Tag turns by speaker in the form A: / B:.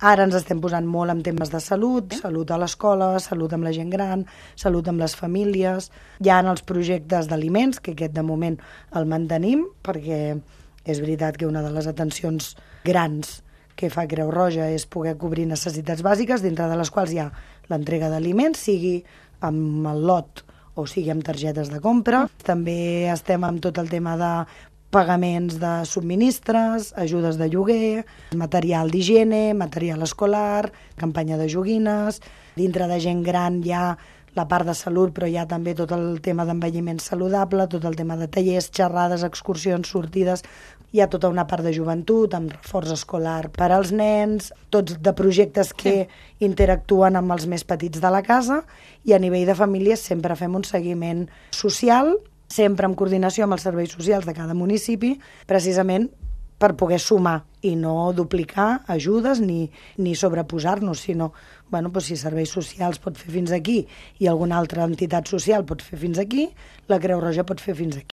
A: Ara ens estem posant molt en temes de salut, salut a l'escola, salut amb la gent gran, salut amb les famílies. Hi ha els projectes d'aliments, que aquest de moment el mantenim, perquè és veritat que una de les atencions grans que fa Creu Roja és poder cobrir necessitats bàsiques, dintre de les quals hi ha l'entrega d'aliments, sigui amb el lot o sigui amb targetes de compra. També estem amb tot el tema de pagaments de subministres, ajudes de lloguer, material d'higiene, material escolar, campanya de joguines. Dintre de gent gran hi ha la part de salut, però hi ha també tot el tema d'envelliment saludable, tot el tema de tallers, xerrades, excursions, sortides. Hi ha tota una part de joventut, amb reforç escolar per als nens, tots de projectes que interactuen amb els més petits de la casa, i a nivell de famílies sempre fem un seguiment social, sempre en coordinació amb els serveis socials de cada municipi, precisament per poder sumar i no duplicar ajudes ni sobreposar-nos, sinó si serveis socials pot fer fins aquí i alguna altra entitat social pot fer fins aquí, la Creu Roja pot fer fins aquí.